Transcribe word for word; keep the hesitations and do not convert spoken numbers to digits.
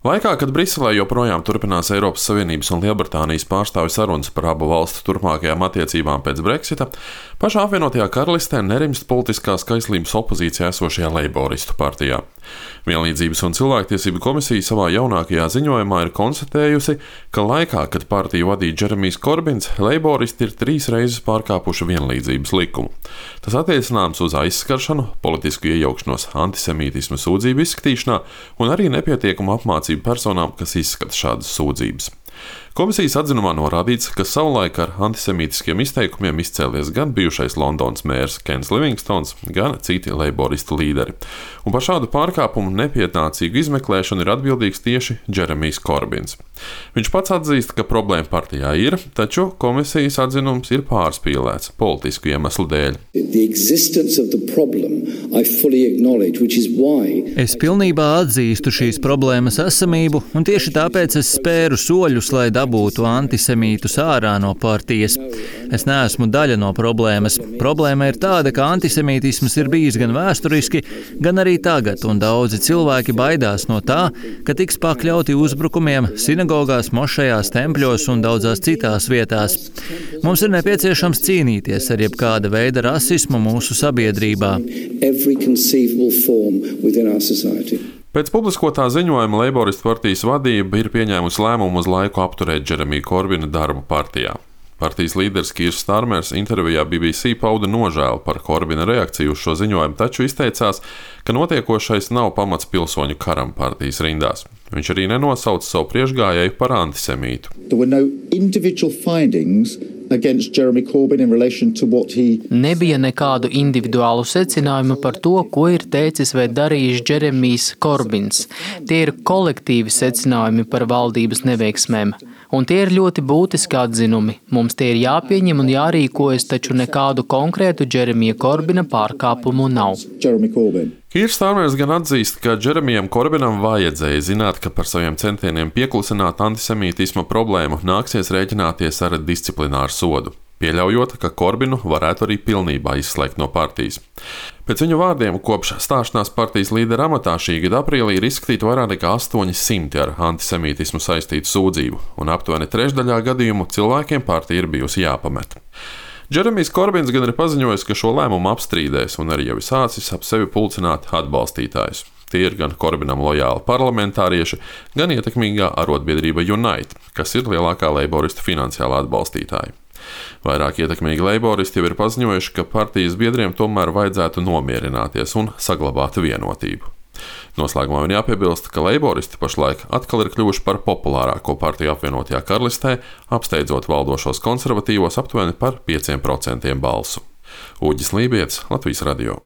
Laikā, kad Briselē joprojām turpinās Eiropas Savienības un Lielbritānijas pārstāvju sarunas par abu valstu turpmākajām attiecībām pēc Brexita, pašā apvienotajā karalistē nerimst politiskās kaislības opozīcijā esošajā Leiboristu partijā. Vienlīdzības un cilvēktiesību komisija savā jaunākajā ziņojumā ir konstatējusi, ka laikā, kad partiju vadīja Džeremijs Korbins, Leiboristi ir trīs reizes pārkāpuši vienlīdzības likumu. Tas attiecināms uz aizskaršanu, politisku iejaukšanos antisemītisma sūdzību izskatīšanā un arī nepietiekumu apmācību personām, kas izskata šādas sūdzības. Komisijas atzinumā norādīts, ka savulaik ar antisemītiskiem izteikumiem izcēlies gan bijušais Londonas mērs Kens Livingstons, gan citi leiboristu līderi. Un par šādu pārkāpumu nepietnācīgu izmeklēšanu ir atbildīgs tieši Džeremijs Korbins. Viņš pats atzīst, ka problēma partijā ir, taču komisijas atzinums ir pārspīlēts politisku iemeslu dēļ. Es pilnībā atzīstu šīs problēmas esamību, un tieši tāpēc es spēru soļus, lai dabūtu antisemītus ārā no partijas. Es neesmu daļa no problēmas. Problēma ir tāda, ka antisemītisms ir bijis gan vēsturiski, gan arī tagad, un daudzi cilvēki baidās no tā, ka tiks pakļauti uzbrukumiem sinagogās, mošejās, tempļos un daudzās citās vietās. Mums ir nepieciešams cīnīties ar jebkāda veida rasismu mūsu sabiedrībā. Pēc publiskotā ziņojuma Leiboristu partijas vadība ir pieņēmusi lēmumu uz laiku apturēt Džeremija Korbina darbu partijā. Partijas līderis Kīrs Starmers intervijā B B C pauda nožēlu par Korbina reakciju uz šo ziņojumu, taču izteicās, ka notiekošais nav pamats pilsoņu karam partijas rindās. Viņš arī nenosauca savu priekšgājēju par antisemītu. Nebija nekādu individuālu secinājumu par to, ko ir teicis vai darījis Džeremijs Korbins. Tie ir kolektīvi secinājumi par valdības neveiksmēm. Un tie ir ļoti būtiski atzinumi. Mums tie ir jāpieņem un jārīkojas, taču nekādu konkrētu Džeremija Korbina pārkāpumu nav. Kīrs Starmers gan atzīst, ka Džeremijam Korbinam vajadzēja zināt, ka par saviem centieniem pieklusināt antisemītisma problēmu nāksies rēķināties ar disciplināru sodu, pieļaujot, ka Korbinu varētu arī pilnībā izslēgt no partijas. Pēc viņu vārdiem, kopš stāšanās partijas līdera amatā šī gada aprīlī ir izskatīti vairāk nekā astoņi simti ar antisemītismu saistītu sūdzību, un aptuveni trešdaļā gadījumu cilvēkiem partija ir bijusi jāpamet. Džeremijs Korbins gan ir paziņojis, ka šo lēmumu apstrīdēs un arī jau ir sācis ap sevi pulcināt atbalstītājus. Tie ir gan Korbinam lojāli parlamentārieši, gan ietekmīgā arotbiedrība Unite, kas ir lielākā leiboristu finansiālā atbalstītāja. Vairāk ietekmīgi leiboristi jau ir paziņojuši, ka partijas biedriem tomēr vajadzētu nomierināties un saglabāt vienotību. Noslēgumā vien jāpiebilst, ka leiboristi pašlaik atkal ir kļuvuši par populārāko partiju apvienotajā karalistē, apsteidzot valdošos konservatīvos aptuveni par pieciem procentiem balsu. Uģis Lībietis, Latvijas radio.